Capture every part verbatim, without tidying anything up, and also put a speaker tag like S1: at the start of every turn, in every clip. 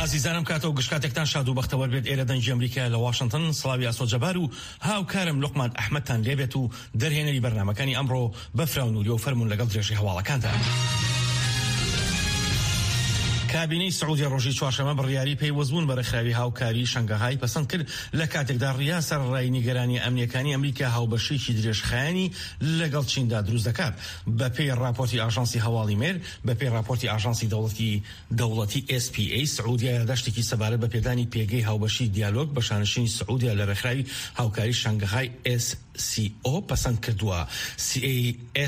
S1: ئازیزانم، کاتە و گشت کاتێکتان شاد و بەختەوەر بێت. ئێرە دەنگی ئەمریکا لە واشنگتن. سڵاوی ئاسۆ جەبار و هاوکارم لوقمان ئەحمەدتان لێبێت و دەرهێنەری بەرنامەکانی ئەمڕۆ بەفرا و نووری و فەرمون لەگەڵ درێژی هەواڵەکاندا. کابینەی سعودیە ڕۆژی چوارشەممە بڕیاری پەیوەستبوون بە ڕێکخراوی هاوکاری شەنگەهای پەسەند کرد، لە کاتێکدا ڕیاز سەرەڕای نیگەرانی ئەمنیەکانی ئەمریکا هاوبەشێکی درێژخایەنی لەگەڵ چیندا دروست دەکات. بەپێی راپۆرتی ئاژانسی هەواڵی مێر، بەپێی راپۆرتی ئاژانسی دەوڵەتی دەوڵەتی S P A، سعودیا یاداشتێکی سەبارەت بە پێدانی پێگەی هاوبەشی دیالۆگ بە شانشینی سعودیا لە ڕێکخراوی هاوکاری شەنگەهای S C O پەسەند کردووە.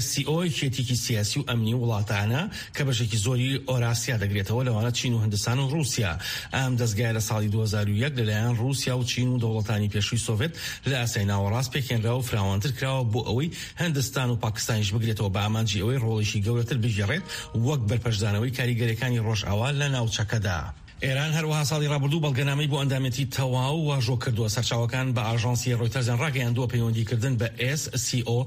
S1: S C O یەکێتیکی سیاسی و ئەمنی وڵاتانە کە بەشێکی زۆری ئۆراسیا دەگرێتەوە، لەوانە چین و هندستان و رووسیا. ئەم دەستگایە لە ساڵی دوو هەزار و یەک لەلایەن رووسیا و چین و دەوڵەتانی پێشووی سۆڤێت لە ئاسیای ناوەڕاست پێکهێنرا و فراوانتر کراوە بۆ ئەوەی هندستان و پاکستانیش بگرێتەوە، بە ئامانجی ئەوەی ڕۆڵێکی گەورەتر بگێڕێت وەک بەرپەرچدانەوەی کاریگەریەکانی ڕۆژئاوا لە ناوچەکەدا. ئێران هەروەها ساڵی ڕابردوو بەڵگەنامەی بۆ ئەندامێتی تەواو واژۆ کردووە. سەرچاوەکان بە ئاژانسی ڕۆیتەرزیان ڕاگەیاندووە، پەیوەندیکردن بە S C O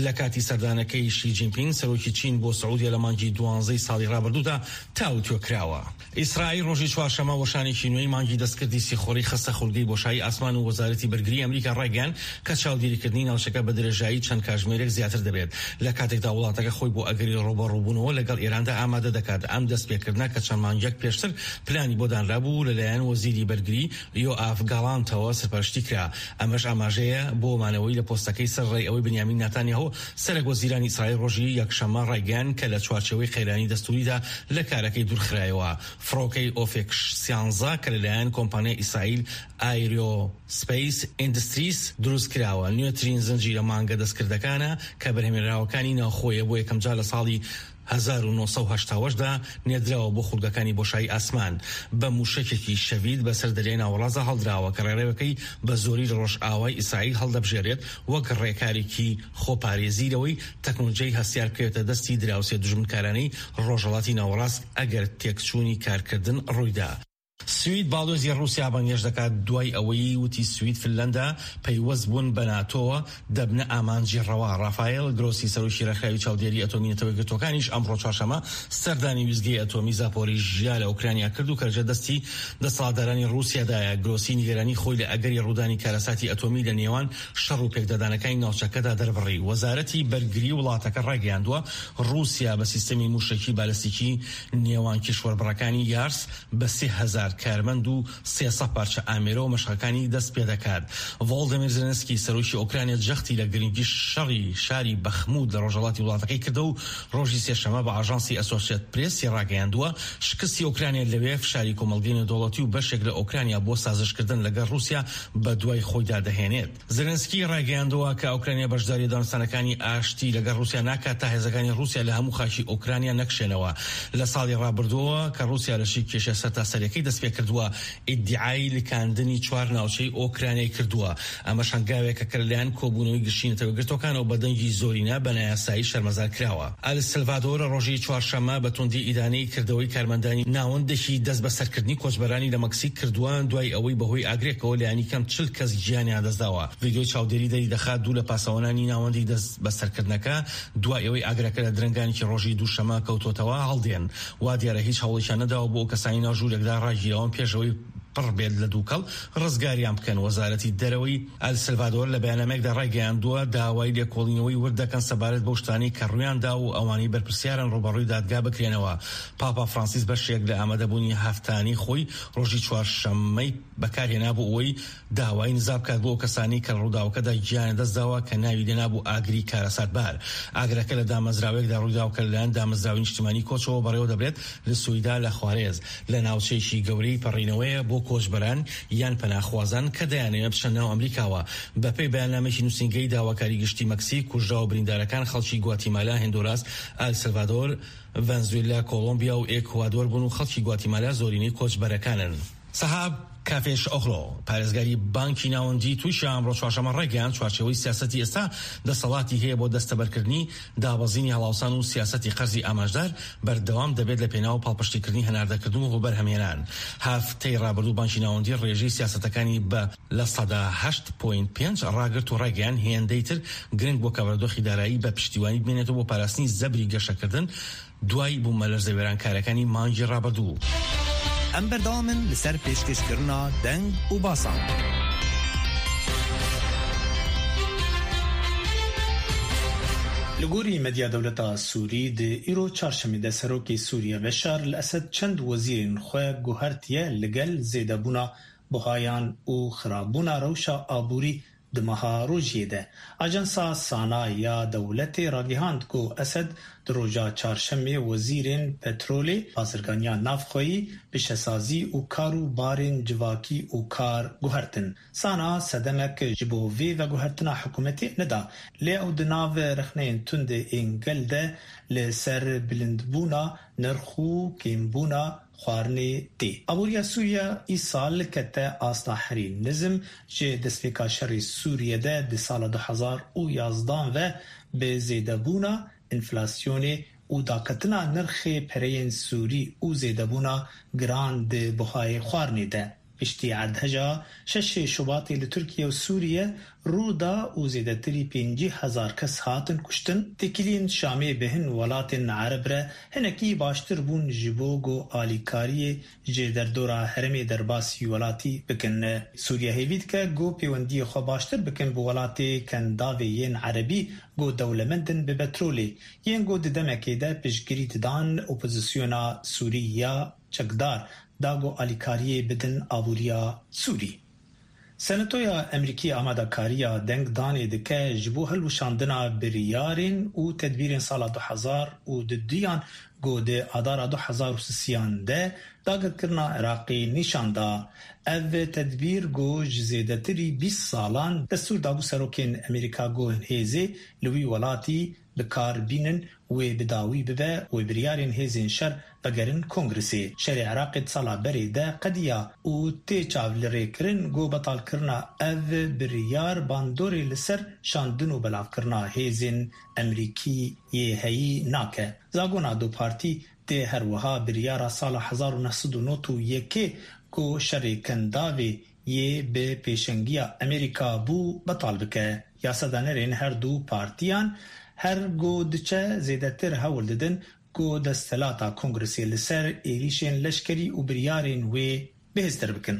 S1: لە کاتی سەردانەکەی شی جینپینگ، سەرۆکی چین، بۆ سعودیە لە مانگی دوانزەی ساڵی ڕابردوودا تاوتوێ کراوە. ئیسرائیل ڕۆژی چوارشەممە وەشانێکی نوێی مانگی دەستکردی سیخۆری خستە خولگەی بۆشایی ئاسمان و وەزارەتی بەرگری ئەمریکا ڕایگەیاند کە چاودێریکردنی ناوچەکە بە درێژایی چەند کاژمێرێک زیاتر دەبێت، لە کاتێکدا وڵاتەکە خۆی بۆ ئەگەری ڕووبەڕووبوونەوە لەگەڵ ئێراندا ئامادە دەکات. ئەم دەستپێکردنە کە چەند مانگێک پێشتر پلانی بۆ دانرابوو، لەلایەن وەزیری بەرگری یۆئاف گالانتەوە سەرپەرشتی کرا. ئەمەش ئاماژەیە بۆ مانەوەی لە پۆستەکەی، سەرەڕای ئەوەی بنیامین ناتانیاهۆ، سەرەک وەزیرانی ئیسرائیل، ڕۆژی یەکشەممە ڕایگەیاند کە لە چوارچێوەی قەیرانی دەستوریدا لە کارەکەی دوورخرایەوە. فڕۆکەی ئۆفێک سیانزە کە لەلایەن کۆمپانیای ئیسرائیل Aerospace Industries دروست کراوە، نوێترین زنجیرە مانگە دەستکردەکانە کە بەرهەمێنراوەکانی ناوخۆیە. بۆ یەکەمجار لە ساڵی هەزار و نۆ سەد و هەشتا دا نێردراوە بۆ خولگەکانی بۆشایی ئاسمان. بە موشەکێکی شەڤید بەسەر دەریای ناوەڕاستدا هەڵدراوە کە ڕێڕەوەکەی بە زۆری لە ڕۆژئاوای ئیسرائیل هەڵدەبژێرێت، وەک ڕێکارێکی خۆپارێزی لەوەی تەکنۆلۆژیای هەستیار بکەوێتە دەستی دراوسێ دوژمنکارانەی ڕۆژهەڵاتی ناوەڕاست ئەگەر تێکچوونی کارکردن ڕوویدا. سوید باڵۆزی رووسیا بانگێشت دەکات، دوای ئەوەی وتی سوید، فنلندا پەیوەست بوون بە ناتۆوە دەبنە ئامانجی ڕەوا. رافائێل گرۆسی، سەرۆکی ڕێکخراوی چاودێری ئەتۆمی نەتەوە یەکگرتووەکانیش، ئەمڕۆ چوارشەممە سەردانی ویستگەی ئەتۆمی زاپۆریژیا لە ئۆکرانیا کرد و کە لەژێر دەستی دەسەڵاتدارانی رووسیادایە. گرۆسی نیگەرانی خۆی لە ئەگەری ڕوودانی کارەساتی ئەتۆمی لە نێوان شەڕ و پێکدادانەکانی ناوچەکەدا دەربڕی. وەزارەتی بەرگری وڵاتەکە ڕایگەیاندووە، رووسیا بە سیستەمی موشەکی بالستیکی نێوان کیشوەربڕەکانی یارس بە سێ هەزار کارمەند و سێ سەد پارچە ئامێرەوە مەشقەکانی دەست پێدەکات. ڤۆلدیمیر زێلێنسکی، سەرۆکی ئۆکرانیا، جەختی لە گرنگی شەڕی شاری بەخمود لە ڕۆژهەڵاتی وڵاتەکەی کردەوە و ڕۆژی سێشەممە بە ئاژانسی ئەسۆسیەت پرێسی ڕاگەیاندووە، شکستی ئۆکرانیا لەوێ فشاری کۆمەڵگەی نێودەوڵەتی و بەشێک لە ئۆکرانیا بۆ سازشکردن لەگەڵ رووسیا بە دوای خۆیدا دەهێنێت. زێلێنسکی ڕایگەیاندووە کە ئۆکرانیا بەشداری دانوستانەکانی ئاشتی لەگەڵ رووسیا ناکات تا هێزەکانی رووسیا لە هەموو خاکی ئۆکرانیا نەکشێنەوە. لە ساڵی ڕابردووەوە کە رووسیا لەشکرکێشیە سەرتاسەریەکەی دەست پێکردووە، ئیدعای لکاندنی چوار ناوچەی ئۆکرانیای کردووە. ئەمەش هەنگاوێکە کە لەلایەن کۆبوونەوەی گشتی نەتەوە یەکگرتووەکانەوە بە دەنگی زۆرینە بە نایاسایی شەرمەزار کراوە. ئەلسلڤادۆر ڕۆژی چوارشەممە بە توندی ئیدانەی کردەوەی کارمەندانی ناوەندێکی دەست بەسەرکردنی کۆچبەرانی لە مەکسیک کردووە، دوای ئەوەی بەهۆی ئاگرێکەوە لایەنی کەم چل کەس گیانیان دەستداوە. ڤیدیۆی چاودێری دەری دەخات دوو لە پاسەوانانی ناوەندی دەست بەسەرکردنەکە دوای ئەوەی ئاگرەکە لە درەنگانێکی ڕۆژی دووشەمە کەوتۆتەوە هەڵدێن. وا دیارە هیچ هەوڵێکیان نەداوە بۆ ئەو کەسانی ناو ژوورێکدا ڕاگیراون پێشەوەی پڕ بێت لە دووکەڵ ڕزگاریان بکەن. وەزارەتی دەرەوەی ئەلسلڤادۆر لە بەیاننامەیەکدا ڕایگەیاندووە، داوای لێکۆڵینەوەی ورد دەکەن سەبارەت بەو شتانەی کە ڕوویاندا و ئەوانەی بەرپرسیارن ڕووبەڕووی دادگا بکرێنەوە. پاپا فرانسیس بەشێک لە ئامادەبوونی هەفتانی خۆی ڕۆژی چوارشەممەی بەکارهێنا بۆ ئەوەی داوای نزا بکات بۆ ئەو کەسانی کە ڕووداوەکەدا گیانیان دەستداوە کە ناوی لێنابوو ئاگری کارەساتبار. ئاگرەکە لە دامەزراوەیەکدا ڕوویداوە کە لەلایەن دامەزراوەی نیشتیمانی کۆچەوە بەڕێوە دەبرێت لە سویداد لە خوارێز، لە ناوچەیەکی گەورەی پەڕینەوەیە بۆ کۆچبەران یان پەناخوازان کە دەیانەوێت بچنە ناو ئەمریکاوە. بەپێی بەیاننامەیەکی نووسینگەی داواکاری گشتی مەکسیک، کوژراو و بریندارەکان خەڵکی گواتیمالا، هندوراس، ئەلسلڤادۆر، ڤەنزوێلا، کۆڵۆمبیا و ئێکوادۆر بوون و خەڵکی گواتیمالا زۆرینەی کۆچبەرەکانن. سەهاب کافێش ئۆغلۆ، پارێزگاری بانکی ناوەندی تورکیا، ئەمڕۆ چوارشەممە ڕایگەیاند، چوارچێوەی سیاسەتی ئێستا دەسەڵاتی هەیە بۆ دەستەبەرکردنی دابەزینی هەڵاوسان و سیاسەتی قەرزی ئامانجدار بەردەوام دەبێت لە پێناو پاڵپشتیکردنی هەناردەکردن و بەرهەمهێنان. هەفتەی ڕابردوو بانکی ناوەندی ڕێژەی سیاسەتەکانی بە لە سەدا هەشت point پێنج ڕاگرت و ڕایگەیاند، هێندەی تر گرنگ بۆ کە بارودۆخی دارایی بە پشتیوانی بمێنێتەوە بۆ پاراستنی زەبری گەشەکردن دوای بوومەلەرزە وێرانکارەکانی مانگی ڕابردوو.
S2: Em berdamin li ser pêşkêşkirina deng û basan.
S3: Li gorî medya dewleta Sûrî di îro çarşemê de Serokê Sûriye Beşar el-Esed çend wezîrên xwe guhertiye li gel zêdebûna buhayan û xirabûna rewşa aborî di meha rojiyê de. Ajansa Sana ya dewletê ragihand ku Esed di roja çarşemê wezîrên petrolê, bazirganiya navxweyî, pişesazî û kar û barên civakî û kar guhertin. Sana sedemek ji bo vê veguhertina hikûmetê neda, lê ew di nav rexneyên tund ên gel de li ser bilindbûna nirx û kêmbûna xwarinê tê. Aboriya Sûriye îsal kete asta herî nizm ji destpêka şerê Sûriye de di sala du hezar û yazdan ve bi zêdebûna enflasyonê û daketina nirxê pereyên Sûrî û zêdebûna giran di buhayê xwarinê de. Piştî erdheja şeşê Şubatê li Tirkiye û Sûriye rû da û zêdetirî pêncî hezar kes hatin kuştin, têkiliyên Şamê bi hin welatên Ereb re hinekî baştir bûn ji bo ku alîkariyê ji derdora herêmê derbasî welatî bikin. Sûriye hêvî dike ku pêwendiyê xwe baştir bikin bi welatê Kendavê yên Erebî ku dewlemend in bi petrolê, yên ku di demekê de piştgirî didan opozisyona Sûrî ya çekdar da ku alîkariyê bidin aboriya Sûrî. Senatoya Amerîkî amadekariya dengdanê dike ji bo hilweşandina biryarên û tedbîrên sala du hezar û du duyan ku di adara du hezar û sisiyan de dagirkirina Iraqê nîşan da. Ev tedbîr ku ji zêdetirî bîst salan destûr dabû serokên Amerîka ku hêzê li wî welatî bi kar bînin wê bi dawî bibe û biryarên hêzên şer vegerin Kongresê. Şerê Iraqê di sala berê de qediya û tê çav li rêkirin ku betalkirina ev biryar bandorê li ser şandin û belavkirina hêzên Amerîkî yê heyî nake. Zagona du partî tê her wiha biryara sala hezar û neh sed û nod û yekê ku şerê Kendavê yê bi pêşengiya Amerîka bû betal bike. Yasadanêrên her du partiyan her ku diçe zêdetir hewl didin ku desthilata Kongresê li ser êrişên leşkerî û biryarên wê bihêztir bikin.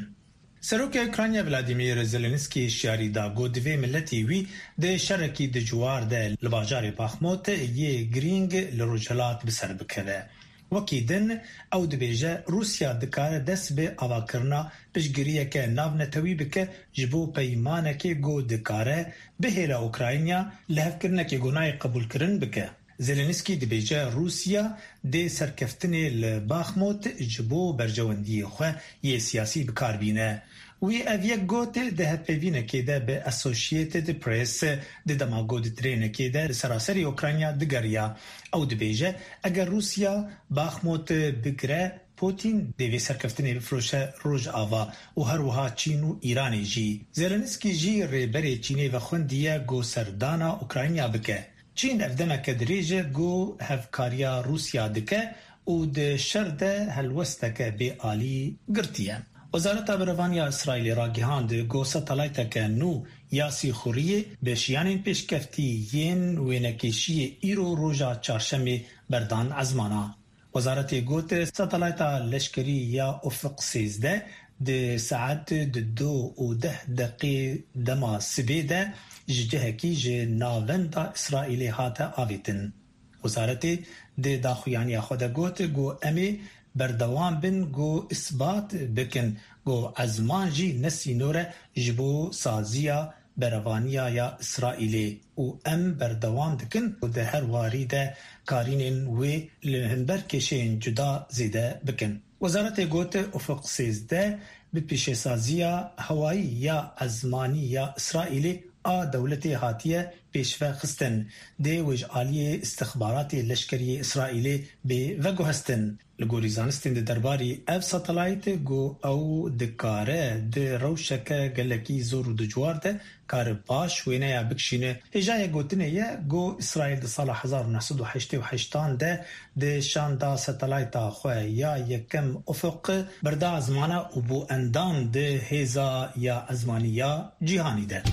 S3: Serokê Ukrayna Vladimir Zelenskiy şiyarî da ku divê miletê wî di şerekî dijwar de li bajarê Baxmut yê girîng li rojhilat bi ser bikeve. Wekî din ew dibêje Rûsya dikare dest bi avakirina piştgiriyeke navnetewî bike ji bo peymanekê ku dikare bihêla Ukrayna lihevkirinekê ku nayê qebûlkirin bike. Zelenskiy dibêje Rûsya dê serkeftinê li Baxmut ji bo berjewendiyê xwe yê siyasî bikar bîne. Wî ev yek got di hevpeyvînekê de bi Associated Press di dema ku di trênekê de li seraserî Ukrayna digeriya. Ew dibêje eger Rûsya Baxmut bigire Putin dê vê serkeftinê bifiroşe Rojava û her wiha Çîn û Îranê jî. Zelenskiy jî rêberê Çînê vexwendiye ku serdana Ukrayna bike. Çîn ev demeke dirêj e ku hevkariya Rûsya dike û di şer de helwesteke bêalî girtiye. Wezareta Berevaniya İsraîlê ragihand ku satelayteke nû ya sîxuriyê bi şiyanên pêşkeftî yên wênekêşiyê îro roja çarşemê berdan ezmana. Wezaretê got satelayta leşkerî ya Ufuk sêzdeh di saet di du û deh deqê dema sibê de ji cihekî ji navenda İsraîlê hate avêtin. Wezaretê di daxuyaniya xwe de got ku em ê berdewam bin ku isbat bikin ku ezman jî ne sînor e ji bo saziya berevaniya ya İsraîlê û em berdewam dikin ku di her warî de karînên wê li hember kêşeyên cuda zêde bikin. Wezaretê got Ufuk sêzdeh bi pêşesaziya hewayî ya ezmanî ya İsraîlê a dewletê hatiye pêşve xistin. Dê wê ji aliyê îstixbaratê leşkeriyê İsraîlê bê veguhestin. Li gorî zanistên di derbarî ev satelayt ku ew dikare di rewşeke gelekî zor û dijwar de kare baş wêneya bikişîne. Hêjayê gotinê ye ku İsraîl di sala hezar û neh sed û heştê û heştan de di şanda satelayta xwe ya yekem Ufuk berda ezmana û bû endam di hêza ya ezmanî ya cîhanî de.